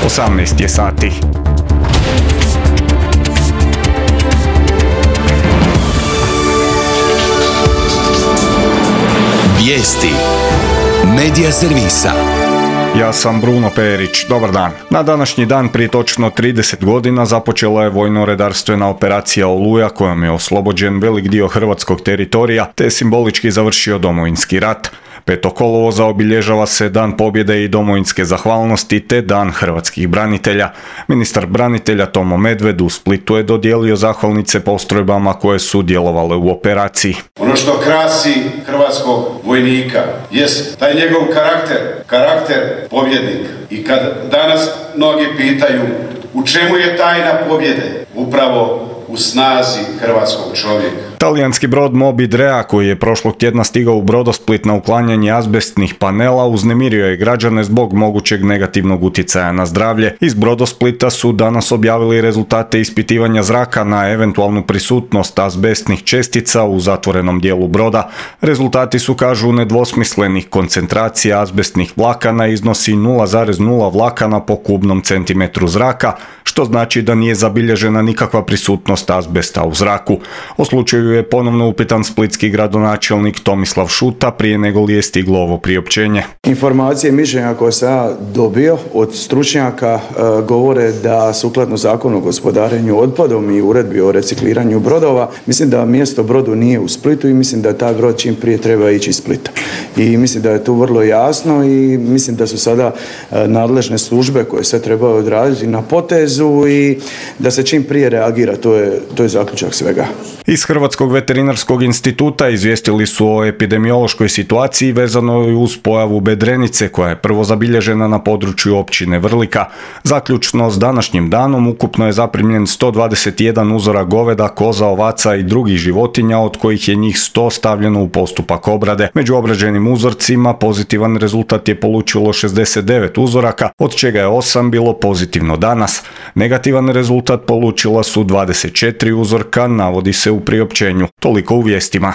18 je sati. Vijesti Medija servisa. Ja sam Bruno Perić, dobar dan. Na današnji dan prije točno 30 godina započela je vojno-redarstvena operacija Oluja kojom je oslobođen velik dio hrvatskog teritorija te simbolički završio Domovinski rat. 5. kolovoza obilježava se Dan pobjede i domovinske zahvalnosti te Dan hrvatskih branitelja. Ministar branitelja Tomo Medved u Splitu je dodijelio zahvalnice postrojbama koje su djelovale u operaciji. Ono što krasi hrvatskog vojnika jest taj njegov karakter pobjednika. I kad danas mnogi pitaju u čemu je tajna pobjede, upravo u snazi hrvatskog čovjeka. Talijanski brod Moby Drea koji je prošlog tjedna stigao u Brodosplit na uklanjanje azbestnih panela uznemirio je građane zbog mogućeg negativnog utjecaja na zdravlje. Iz Brodosplita su danas objavili rezultate ispitivanja zraka na eventualnu prisutnost azbestnih čestica u zatvorenom dijelu broda. Rezultati su, kažu, nedvosmislenih. Koncentracija azbestnih vlakana iznosi 0,0 vlakana po kubnom centimetru zraka, što znači da nije zabilježena nikakva prisutnost azbesta u zraku. O slučaju je ponovno upitan splitski gradonačelnik Tomislav Šuta prije nego li je stiglo ovo priopćenje. Informacije i mišljenja koje sam ja dobio od stručnjaka govore da sukladno Zakonu o gospodarenju otpadom i uredbi o recikliranju brodova, mislim da mjesto brodu nije u Splitu i mislim da taj brod čim prije treba ići iz Splita. I mislim da je tu vrlo jasno i mislim da su sada nadležne službe koje se trebaju odraditi na potezu i da se čim prije reagira, to je zaključak svega. Iz Hrvatskog veterinarskog instituta izvijestili su o epidemiološkoj situaciji vezanoj uz pojavu bedrenice koja je prvo zabilježena na području općine Vrlika. Zaključno s današnjim danom ukupno je zaprimljen 121 uzora goveda, koza, ovaca i drugih životinja, od kojih je njih 100 stavljeno u postupak obrade. Među obrađenim uzorcima pozitivan rezultat je polučilo 69 uzoraka, od čega je 8 bilo pozitivno danas. Negativan rezultat polučila su 24 uzorka, navodi se u priopćenju. Toliko u vijestima.